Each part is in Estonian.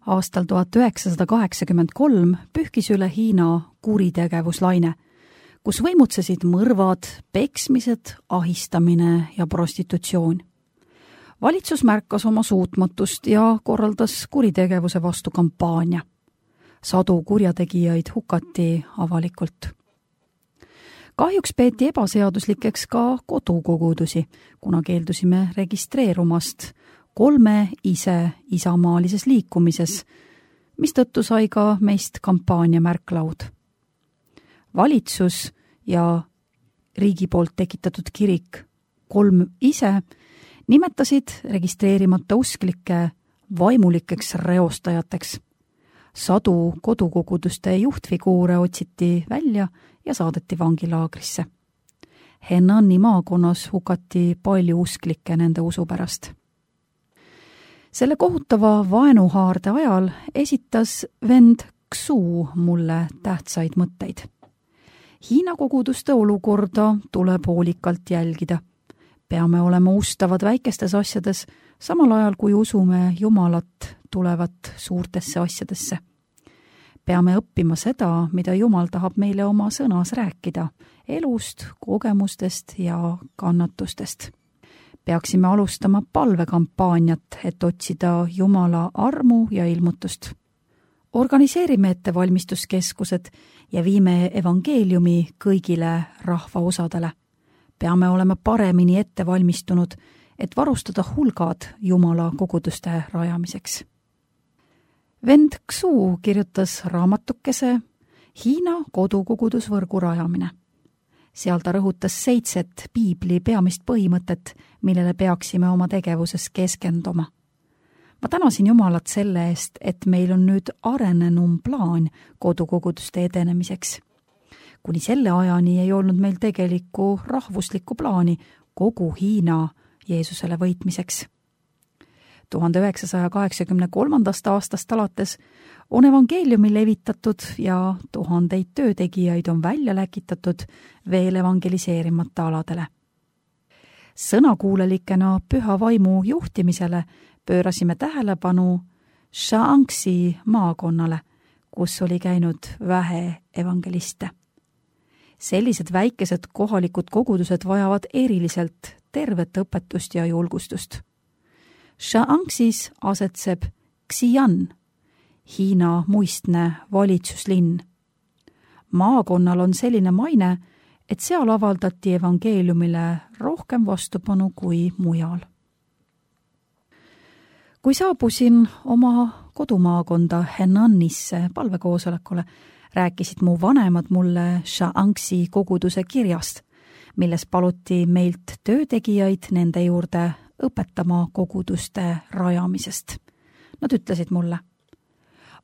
Aastal 1983 pühkis üle Hiina kuritegevuslaine, kus võimutsesid mõrvad, peksmised, ahistamine ja prostitutsioon. Valitsus märkas oma suutmatust ja korraldas kuritegevuse vastu kampaania. Sadu kurjategijaid hukati avalikult. Kahjuks peeti ebaseaduslikeks ka kodukogudusi, kuna keeldusime registreerumast 3 isamaalises liikumises, mistõttu sai ka meist kampaania märklaud. Valitsus ja riigi poolt tekitatud kirik 3 nimetasid registreerimata usklikke vaimulikeks reostajateks. Sadu kodukoguduste juhtfiguure otsiti välja ja saadeti vangilaagrisse. Henani maakonnas hukati palju usklikke nende usu pärast. Selle kohutava vaenuhaarde ajal esitas vend Xu mulle tähtsaid mõtteid. Hiina koguduste olukorda tuleb hoolikalt jälgida. Peame olema ustavad väikestes asjades, samal ajal kui usume Jumalat tulevat suurtesse asjadesse. Peame õppima seda, mida Jumal tahab meile oma sõnas rääkida, elust, kogemustest ja kannatustest. Peaksime alustama palvekampaaniat, et otsida Jumala armu ja ilmutust. Organiseerime ettevalmistuskeskused ja viime evangeeliumi kõigile rahvaosadele. Peame olema paremini ettevalmistunud, et varustada hulgad Jumala koguduste rajamiseks. Vend Xu kirjutas raamatukese Hiina kodukogudusvõrgu rajamine. Seal ta rõhutas 7 piibli peamist põhimõtet, millele peaksime oma tegevuses keskenduma. Ma tänasin Jumalat selle eest, et meil on nüüd arenenum plaan kodukoguduste edenemiseks. Kuni selle ajani ei olnud meil tegelikku rahvuslikku plaani kogu Hiina Jeesusele võitmiseks. 1983. aastast alates on evangeeliumi levitatud ja 1000 töötegijaid on välja läkitatud veel evangeliseerimata aladele. Sõnakuulelikena püha vaimu juhtimisele pöörasime tähelepanu Shaanxi maakonnale, kus oli käinud vähe evangeliste. Sellised väikesed kohalikud kogudused vajavad eriliselt tervet õpetust ja julgustust. Shaanxis asetseb Xi'an, Hiina muistne valitsuslinn. Maakonnal on selline maine, et seal avaldati evangeeliumile rohkem vastupanu kui mujal. Kui saabusin oma kodumaakonda Henanisse palvekoosolekule, rääkisid mu vanemad mulle Shaanxi koguduse kirjast, milles paluti meilt töötegijaid nende juurde õpetama koguduste rajamisest. Nad ütlesid mulle: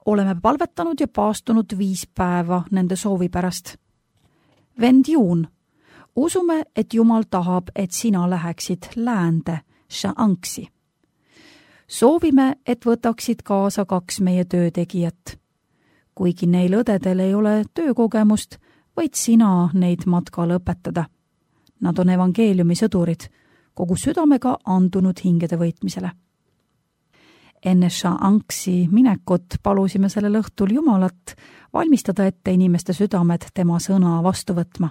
oleme palvetanud ja paastunud 5 päeva nende soovi pärast. Vend Juun, usume, et Jumal tahab, et sina läheksid läände Shaanxi. Soovime, et võtaksid kaasa 2 meie töötegijat. Kuigi neil õdedel ei ole töökogemust, võid sina neid matkal õpetada. Nad on evangeeliumi sõdurid, kogu südamega andunud hingede võitmisele. Enne Shaanxi minekut palusime sellel õhtul Jumalat valmistada ette inimeste südamed tema sõna vastu võtma.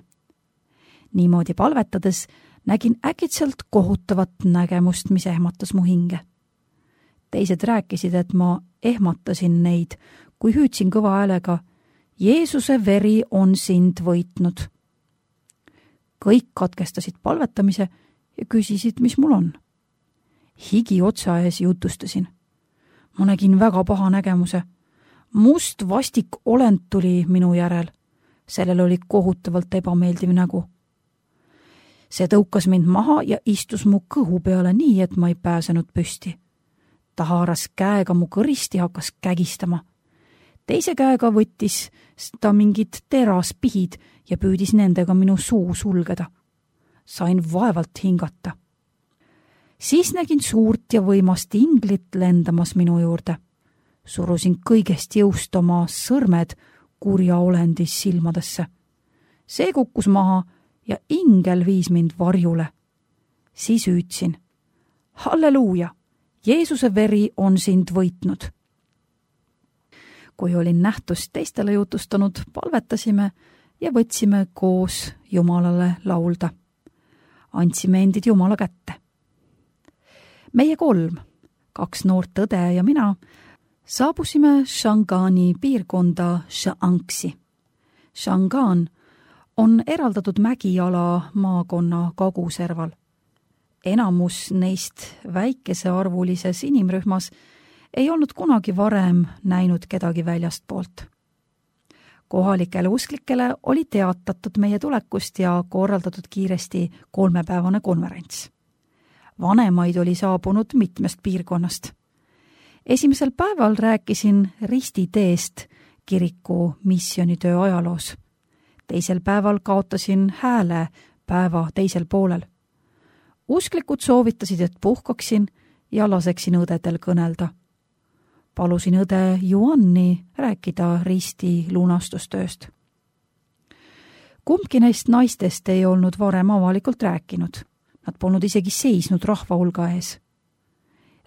Niimoodi palvetades nägin äkitselt kohutavat nägemust, mis ehmatas mu hinge. Teised rääkisid, et ma ehmatasin neid, kui hüüdsin kõva häälega: Jeesuse veri on sind võitnud. Kõik katkestasid palvetamise ja küsisid, mis mul on. Higi otsa ees jutustasin. Ma nägin väga paha nägemuse. Must vastik olend tuli minu järel. Sellel oli kohutavalt ebameeldiv nägu. See tõukas mind maha ja istus mu kõhu peale nii, et ma ei pääsenud püsti. Ta haaras käega mu kõristi ja hakkas kägistama. Teise käega võttis ta mingid teraspihid ja püüdis nendega minu suu sulgeda. Sain vaevalt hingata. Siis nägin suurt ja võimast inglit lendamas minu juurde. Surusin kõigest jõust oma sõrmed kurja olendis silmadesse. See kukkus maha ja ingel viis mind varjule. Siis hüüdsin: Halleluuja! Jeesuse veri on sind võitnud. kui olin nähtust teistele jutustanud, palvetasime ja võtsime koos Jumalale laulda. Andsime endid Jumala kätte. Meie 3, 2 noort õde ja mina, saabusime Shangani piirkonda Shaanxi. Shangan on eraldatud mägiala maakonna kaguserval. Enamus neist väikesearvulises inimrühmas ei olnud kunagi varem näinud kedagi väljastpoolt. Kohalikele usklikele oli teatatud meie tulekust ja korraldatud kiiresti 3-päevane konverents. Vanemaid oli saabunud mitmest piirkonnast. Esimesel päeval rääkisin ristiteest kiriku missioonitöö ajaloos. Teisel päeval kaotasin hääle päeva teisel poolel. Usklikud soovitasid, et puhkaksin ja laseksin õdedel kõnelda. Palusin õde Juanni rääkida risti lunastustööst. Kumbki neist naistest ei olnud varem avalikult rääkinud. Nad polnud isegi seisnud rahva hulga ees.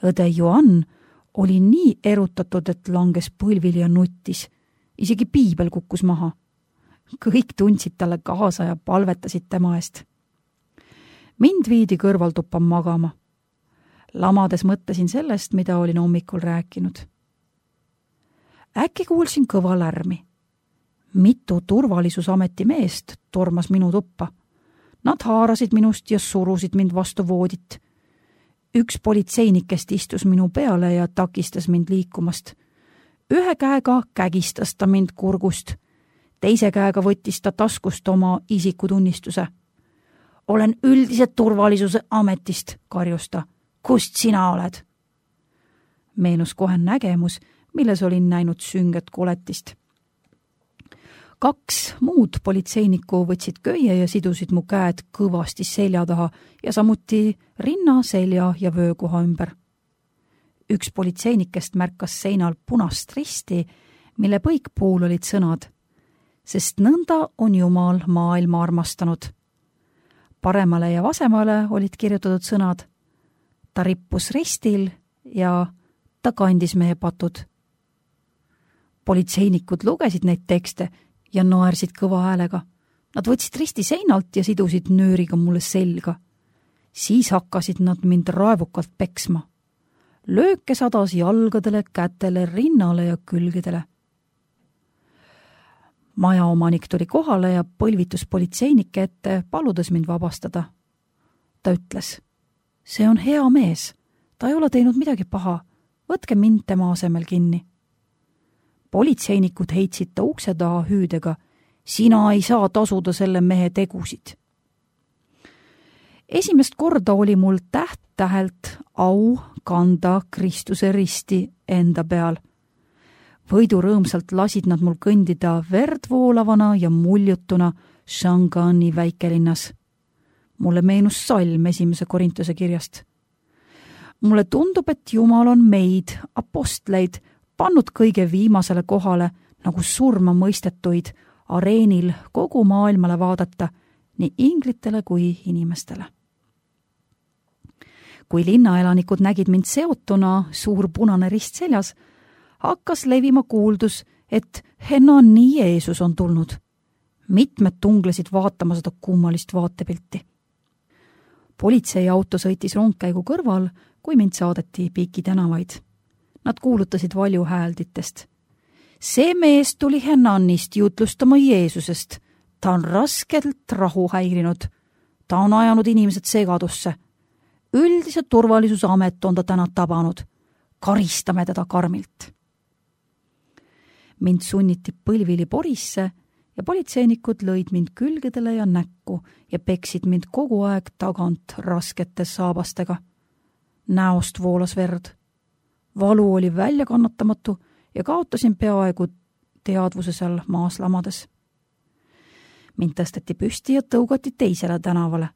Õde Juan oli nii erutatud, et langes põlvili ja nuttis. Isegi piibel kukkus maha. Kõik tundsid talle kaasa ja palvetasid tema eest. Mind viidi kõrvaltuppa magama. Lamades mõtlesin sellest, mida olin hommikul rääkinud. Äkki kuulsin kõva lärmi. Mitu turvalisusameti meest tormas minu tuppa. Nad haarasid minust ja surusid mind vastu voodit. Üks politseinikest istus minu peale ja takistas mind liikumast. Ühe käega kägistas ta mind kurgust. Teise käega võttis ta taskust oma isikutunnistuse. Olen üldise turvalisuse ametist, karjus ta. Kust sina oled? Meenus kohe nägemus, milles olin näinud sünget koletist. 2 muud politseinikku võtsid köie ja sidusid mu käed kõvasti selja taha ja samuti rinna, selja ja vöökoha ümber. Üks politseinikest märkas seinal punast risti, mille põikpuul olid sõnad, sest nõnda on Jumal maailma armastanud. Paremale ja vasemale olid kirjutatud sõnad, ta rippus ristil ja ta kandis meie patud. Politseinikud lugesid neid tekste ja naersid kõva häälega. Nad võtsid risti seinalt ja sidusid nööriga mulle selga. Siis hakkasid nad mind raevukalt peksma. Lööke sadas jalgadele, kätele, rinnale ja külgedele. Majaomanik tuli kohale ja põlvitus politseinike ette, paludes mind vabastada. Ta ütles, see on hea mees, ta ei ole teinud midagi paha, võtke mind tema asemel kinni. Politseinikud heitsid ta ukse taha hüüdega, sina ei saa tasuda selle mehe tegusid. Esimest korda oli mul täht-tähelt au kanda Kristuse risti enda peal. Võidurõõmsalt lasid nad mul kõndida verdvoolavana ja muljutuna Shangani väikelinnas. Mulle meenus salm 1. Korintuse kirjast. Mulle tundub, et Jumal on meid, apostleid, pannud kõige viimasele kohale nagu surma mõistetuid areenil kogu maailmale vaadata, nii inglitele kui inimestele. Kui linnaelanikud nägid mind seotuna suur punane rist seljas, hakkas levima kuuldus, et Henani Jeesus on tulnud. Mitmed tunglesid vaatama seda kummalist vaatepilti. Politseiauto sõitis rongkäigu kõrval, kui mind saadeti Piki tänavaid. Nad kuulutasid valjuhäälditest. See mees tuli Henanist jutlustama Jeesusest. Ta on raskelt rahu häirinud. Ta on ajanud inimesed segadusse. Üldise turvalisuse amet on ta täna tabanud. Karistame teda karmilt. Mind sunniti põlvili porisse ja politseinikud lõid mind külgedele ja näkku ja peksid mind kogu aeg tagant raskete saabastega. Näost voolas verd. Valu oli väljakannatamatu ja kaotasin peaaegu teadvuse seal maas lamades. Mind tõsteti püsti ja tõugati teisele tänavale.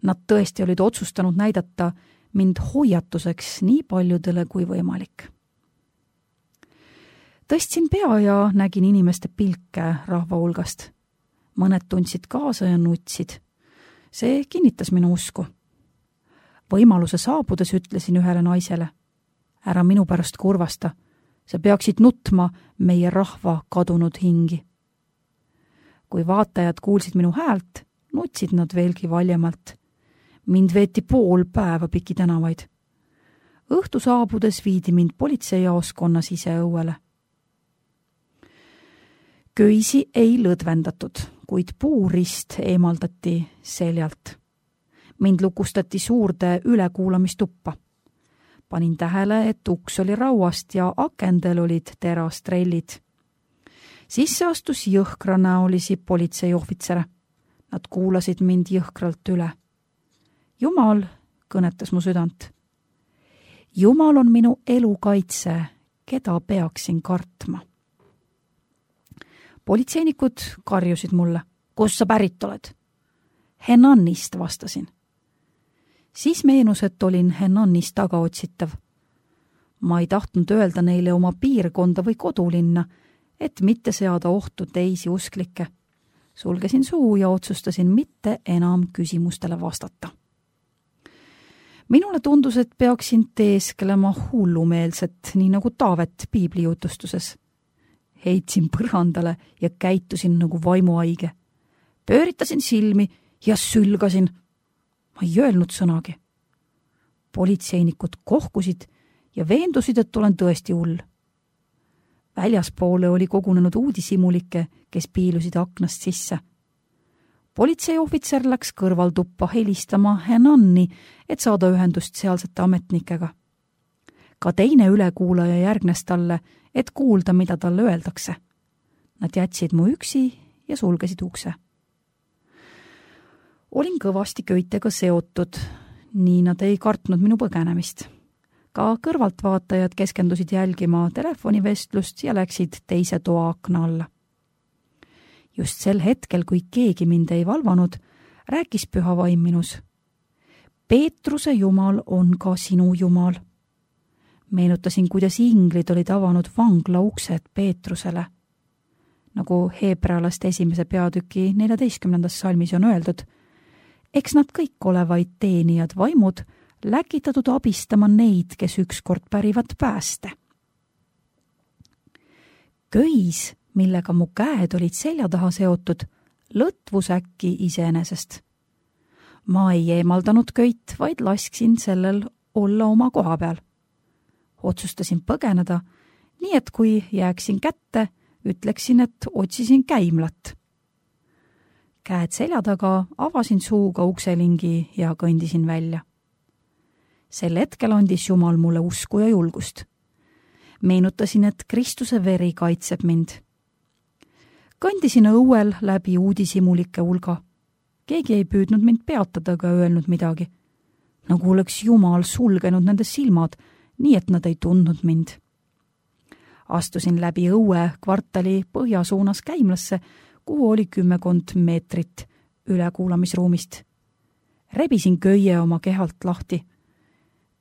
Nad tõesti olid otsustanud näidata mind hoiatuseks nii paljudele kui võimalik. Tõstsin pea ja nägin inimeste pilke rahva hulgast. Mõned tundsid kaasa ja nutsid. See kinnitas minu usku. Võimaluse saabudes ütlesin ühele naisele, ära minu pärast kurvasta. sa peaksid nutma meie rahva kadunud hingi. Kui vaatajad kuulsid minu häält, nutsid nad veelgi valjemalt. Mind veeti pool päeva piki tänavaid. Õhtu saabudes viidi mind politseijaoskonna siseõuele. Köisi ei lõdvendatud, kuid puurist eemaldati seljalt. Mind lukustati suurde ülekuulamistuppa. Panin tähele, et uks oli rauast ja akendel olid terastrellid. Sisse astus jõhkranäolisi politseiohvitsere. Nad kuulasid mind jõhkralt üle. Jumal kõnetas mu südant. Jumal on minu elu kaitse, keda peaksin kartma. Politseinikud karjusid mulle. Kus sa pärit oled? Henannist, vastasin. Siis meenus, et olin Henannist tagaotsitav. Ma ei tahtnud öelda neile oma piirkonda või kodulinna, et mitte seada ohtu teisi usklikke. Sulgesin suu ja otsustasin mitte enam küsimustele vastata. Minule tundus, et peaksin teeskelema hullumeelset, nii nagu Taavet piiblijutustuses. Heitsin põrandale ja käitusin nagu vaimuhaige. Pööritasin silmi ja sülgasin. Ma ei öelnud sõnagi. Politseinikud kohkusid ja veendusid, et olen tõesti hull. Väljaspoole oli kogunenud uudishimulikke, kes piilusid aknast sisse. Politseiohvitser läks kõrvalduppa helistama Henanni, et saada ühendust sealsete ametnikega. Ka teine ülekuulaja järgnes talle, et kuulda, mida talle öeldakse. Nad jätsid mu üksi ja sulgesid ukse. Olin kõvasti köitega seotud, nii nad ei kartnud minu põgenemist. Ka kõrvaltvaatajad keskendusid jälgima telefonivestlust ja läksid teise toa akna alla. Just sel hetkel, kui keegi mind ei valvanud, rääkis püha vaim minus. Peetruse Jumal on ka sinu Jumal. Meenutasin, kuidas inglid olid avanud vangla uksed Peetrusele. Nagu Heebrealaste 1. peatüki 14. salmis on öeldud, eks nad kõik ole vaid teenijad vaimud, läkitatud abistama neid, kes ükskord pärivad pääste. Köis, millega mu käed olid selja taha seotud, lõtvus äkki iseenesest. Ma ei eemaldanud köit, vaid lasksin sellel olla oma koha peal. Otsustasin põgeneda, nii et kui jääksin kätte, ütleksin, et otsisin käimlat. Käed selja taga avasin suuga ukselingi ja kõndisin välja. Sel hetkel andis Jumal mulle usku ja julgust. Meenutasin, et Kristuse veri kaitseb mind. Kõndisin õuel läbi uudishimulike hulga. Keegi ei püüdnud mind peatada ega öelnud midagi. Nagu oleks Jumal sulgenud nende silmad, nii et nad ei tundnud mind. Astusin läbi õue kvartali põhjasuunas käimlasse, kuhu oli 10 meetrit ülekuulamisruumist. Rebisin köie oma kehalt lahti.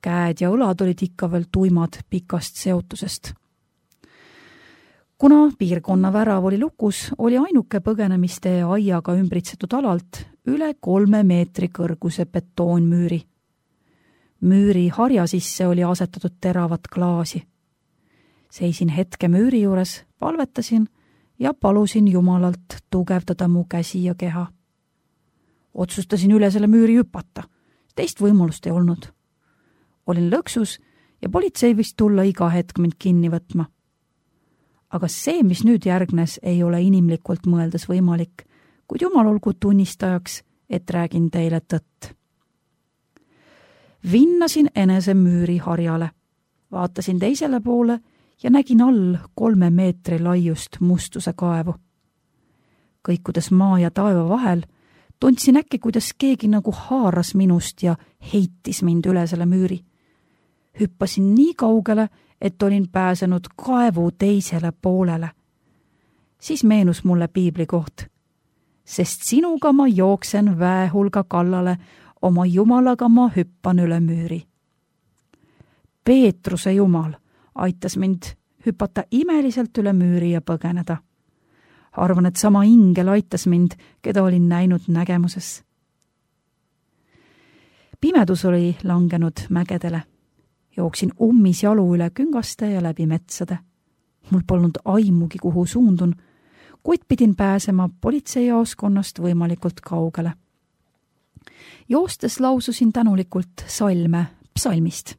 Käed ja õlad olid ikka veel tuimad pikast seotusest. Kuna piirkonna värav oli lukus, oli ainuke põgenemiste aiaga ümbritsetud alalt üle 3 meetri kõrguse betoonmüüri. Müüri harja sisse oli asetatud teravat klaasi. Seisin hetke müüri juures, palvetasin ja palusin Jumalalt tugevdada mu käsi ja keha. Otsustasin üle selle müüri hüpata. Teist võimalust ei olnud. Olin lõksus ja politsei võis tulla iga hetk mind kinni võtma. Aga see, mis nüüd järgnes, ei ole inimlikult mõeldes võimalik, kuid Jumal olgu tunnistajaks, et räägin teile tõtt. Vinnasin enese müüri harjale, vaatasin teisele poole ja nägin all 3 meetri laiust mustuse kaevu. Kõikudes maa ja taeva vahel, tundsin äkki, kuidas keegi nagu haaras minust ja heitis mind üle selle müüri. Hüppasin nii kaugele, et olin pääsenud kaevu teisele poolele. Siis meenus mulle piibli koht. Sest sinuga ma jooksen väehulga kallale, oma Jumalaga ma hüppan üle müüri. Peetruse Jumal aitas mind hüpata imeliselt üle müüri ja põgeneda. Arvan, et sama ingel aitas mind, keda olin näinud nägemuses. Pimedus oli langenud mägedele. Jooksin ummis jalu üle küngaste ja läbi metsade. Mul polnud aimugi, kuhu suundun, kuid pidin pääsema politseijaoskonnast võimalikult kaugele. Joostes laususin tänulikult salme psalmist.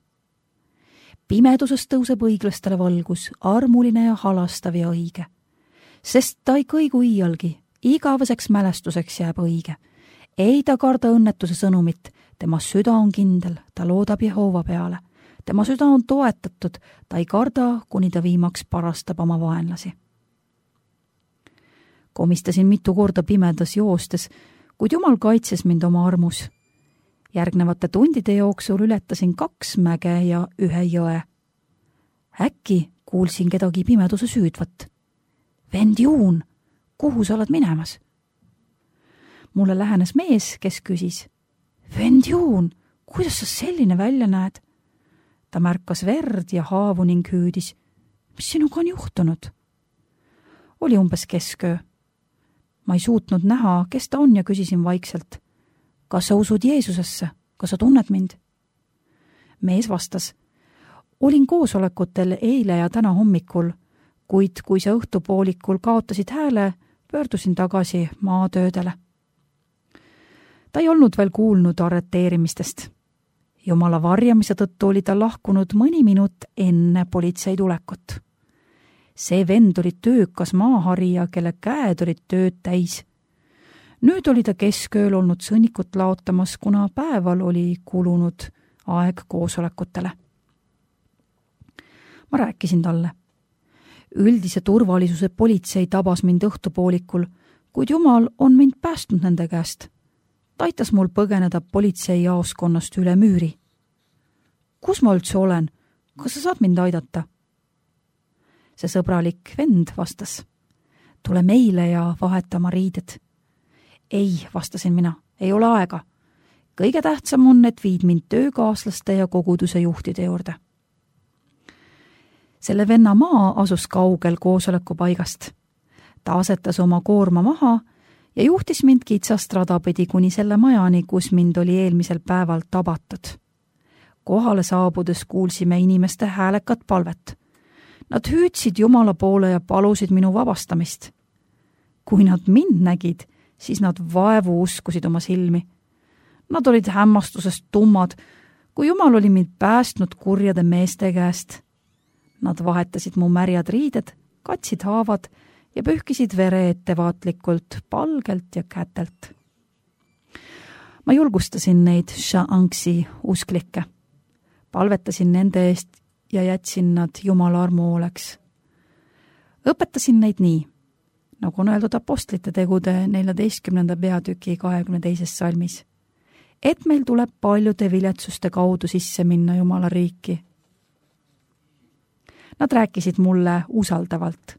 Pimeduses tõuseb õiglastele valgus, armuline ja halastav ja õige. Sest ta ei kõigu iialgi, igaveseks mälestuseks jääb õige. Ei ta karda õnnetuse sõnumit, tema süda on kindel, ta loodab Jehova peale. Tema süda on toetatud, ta ei karda, kuni ta viimaks parastab oma vaenlasi. Komistasin mitu korda pimedas joostes, kuid Jumal kaitses mind oma armus. Järgnevate tundide jooksul ületasin 2 mäge ja 1 jõe. Äkki kuulsin kedagi pimeduse süüdvat. Vend Juun, kuhu sa oled minemas? Mulle lähenes mees, kes küsis. Vend Juun, kuidas sa selline välja näed? Ta märkas verd ja haavu ning hüüdis. Mis sinuga on juhtunud? Oli umbes kesköö. Ma ei suutnud näha, kes ta on ja küsisin vaikselt. Kas sa usud Jeesusesse? Kas sa tunned mind? Mees vastas. Olin koosolekutel eile ja täna hommikul, kuid kui sa õhtupoolikul kaotasid hääle, pöördusin tagasi maatöödele. Ta ei olnud veel kuulnud arreteerimistest. Jumala varjamise tõttu oli ta lahkunud mõni minut enne politsei tulekut. See vend oli töökas maaharija, kelle käed olid tööd täis. Nüüd oli ta keskööl olnud sõnnikut laotamas, kuna päeval oli kulunud aeg koosolekutele. Ma rääkisin talle. Üldise turvalisuse politsei tabas mind õhtupoolikul, kuid Jumal on mind päästnud nende käest. Ta aitas mul põgeneda politseijaoskonnast üle müüri. Kus ma üldse olen? Kas sa saad mind aidata? See sõbralik vend vastas. Tule meile ja vahetama riided. Ei, vastasin mina, ei ole aega. Kõige tähtsam on, et viid mind töökaaslaste ja koguduse juhtide juurde. Selle venna maa asus kaugel koosolekupaigast. Ta asetas oma koorma maha ja juhtis mind kitsast radapidi kuni selle majani, kus mind oli eelmisel päeval tabatud. Kohale saabudes kuulsime inimeste häälekat palvet. Nad hüüdsid Jumala poole ja palusid minu vabastamist. Kui nad mind nägid, siis nad vaevu uskusid oma silmi. Nad olid hämmastusest tummad, kui Jumal oli mind päästnud kurjade meeste käest. Nad vahetasid mu märjad riided, katsid haavad ja pühkisid vere ettevaatlikult palgelt ja kätelt. Ma julgustasin neid Sha'anksi usklikke. Palvetasin nende eest ja jätsin nad Jumala armu hooleks. Õpetasin neid nii, nagu on öeldud apostlite tegude 14. peatüki 22. salmis, et meil tuleb paljude viletsuste kaudu sisse minna Jumala riiki. Nad rääkisid mulle usaldavalt.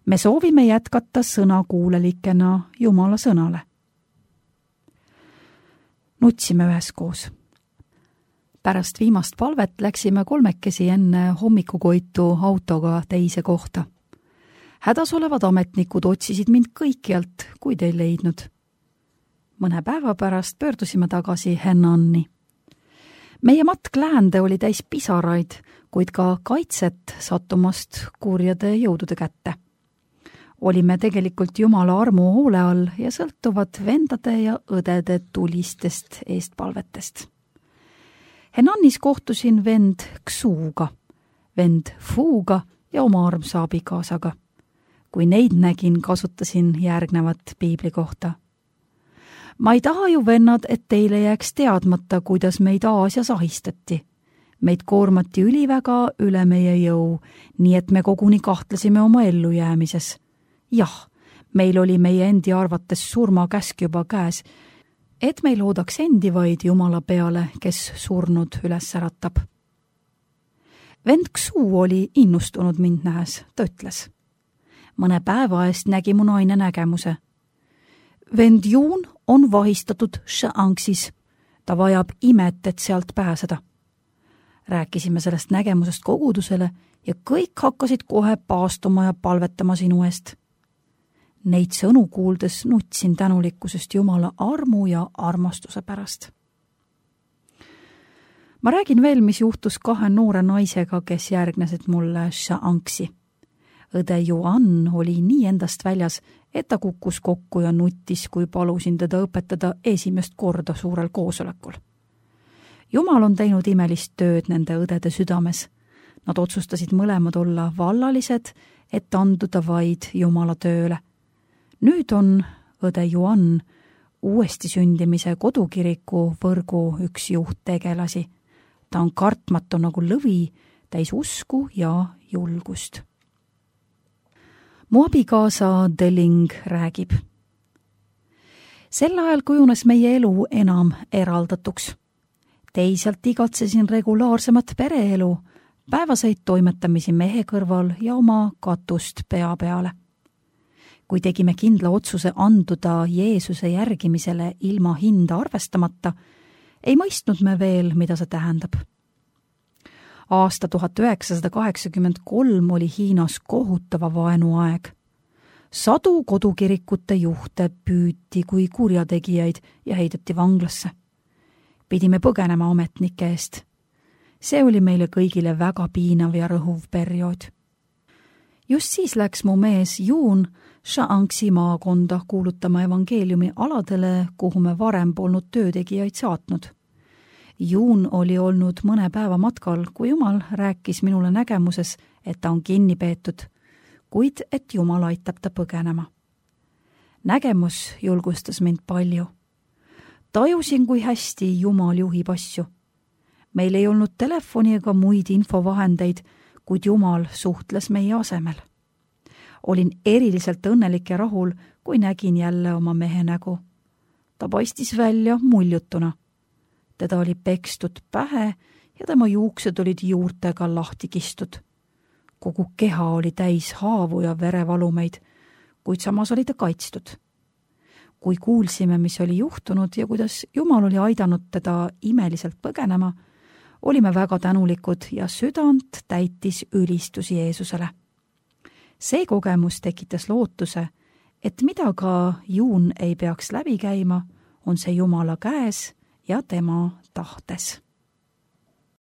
Me soovime jätkata sõnakuulelikena Jumala sõnale. Nutsime üheskoos. Pärast viimast palvet läksime 3 enne hommikukoitu autoga teise kohta. Hädas olevad ametnikud otsisid mind kõikjalt, kuid ei leidnud. Mõne päeva pärast pöördusime tagasi Hennanni. Meie matk läände oli täis pisaraid, kuid ka kaitset sattumast kurjade jõudude kätte. Olime tegelikult Jumala armu hoole all ja sõltuvad vendade ja õdede tulistest eestpalvetest. Hennannis kohtusin vend Ksuuga, vend Fuuga ja oma armsa abikaasaga. Kui neid nägin, kasutasin järgnevat piibli kohta. Ma ei taha ju, vennad, et teile jääks teadmata, kuidas meid Aasias ahistati. Meid koormati üliväga üle meie jõu, nii et me koguni kahtlesime oma ellujäämises. Jah, meil oli meie endi arvates surmakäsk juba käes, et meil loodaks endi vaid Jumala peale, kes surnud üles äratab. Vend Ksuu oli innustunud mind nähes, ta ütles. Mõne päeva eest nägi mu naine nägemuse. Vend Juun on vahistatud Sha'anksis. Ta vajab imet, et sealt pääseda. Rääkisime sellest nägemusest kogudusele ja kõik hakkasid kohe paastuma ja palvetama sinu eest. Neid sõnu kuuldes nutsin tänulikkusest Jumala armu ja armastuse pärast. Ma räägin veel, mis juhtus 2 noore naisega, kes järgnesid mulle Sha'anksi. õde Joann oli nii endast väljas, et ta kukkus kokku ja nuttis, kui palusin teda õpetada esimest korda suurel koosolekul. Jumal on teinud imelist tööd nende õdede südames. Nad otsustasid mõlemad olla vallalised, et anduda vaid Jumala tööle. Nüüd on õde Joann uuesti sündimise kodukiriku võrgu üks juhttegelasi. Ta on kartmatu nagu lõvi, täis usku ja julgust. Mu abikaasa Delling räägib. Sel ajal kujunes meie elu enam eraldatuks. Teisalt igatsesin regulaarsemat pereelu, päevaseid toimetamisi mehe kõrval ja oma katust pea peale. Kui tegime kindla otsuse anduda Jeesuse järgimisele ilma hinda arvestamata, ei mõistnud me veel, mida see tähendab. Aasta 1983 oli Hiinas kohutava vaenuaeg. Sadu kodukirikute juhte püüti kui kurjategijaid ja heideti vanglasse. Pidime põgenema ametnike eest. See oli meile kõigile väga piinav ja rõhuv periood. Just siis läks mu mees Juun Shaanxi maakonda kuulutama evangeeliumi aladele, kuhu me varem polnud töötegijaid saatnud. Juun oli olnud mõne päeva matkal, kui Jumal rääkis minule nägemuses, et ta on kinni peetud, kuid et Jumal aitab ta põgenema. Nägemus julgustas mind palju. Tajusin, kui hästi Jumal juhib asju. Meil ei olnud telefoni ega muid infovahendeid, kuid Jumal suhtles meie asemel. Olin eriliselt õnnelik ja rahul, kui nägin jälle oma mehe nägu. Ta paistis välja muljutuna. Teda oli pekstud pähe ja tema juuksed olid juurtega lahti kistud. Kogu keha oli täis haavu ja verevalumeid, kuid samas oli ta kaitstud. Kui kuulsime, mis oli juhtunud ja kuidas Jumal oli aidanud teda imeliselt põgenema, olime väga tänulikud ja südant täitis ülistus Jeesusele. See kogemus tekitas lootuse, et mida ka Juun ei peaks läbi käima, on see Jumala käes ja tema tahtes.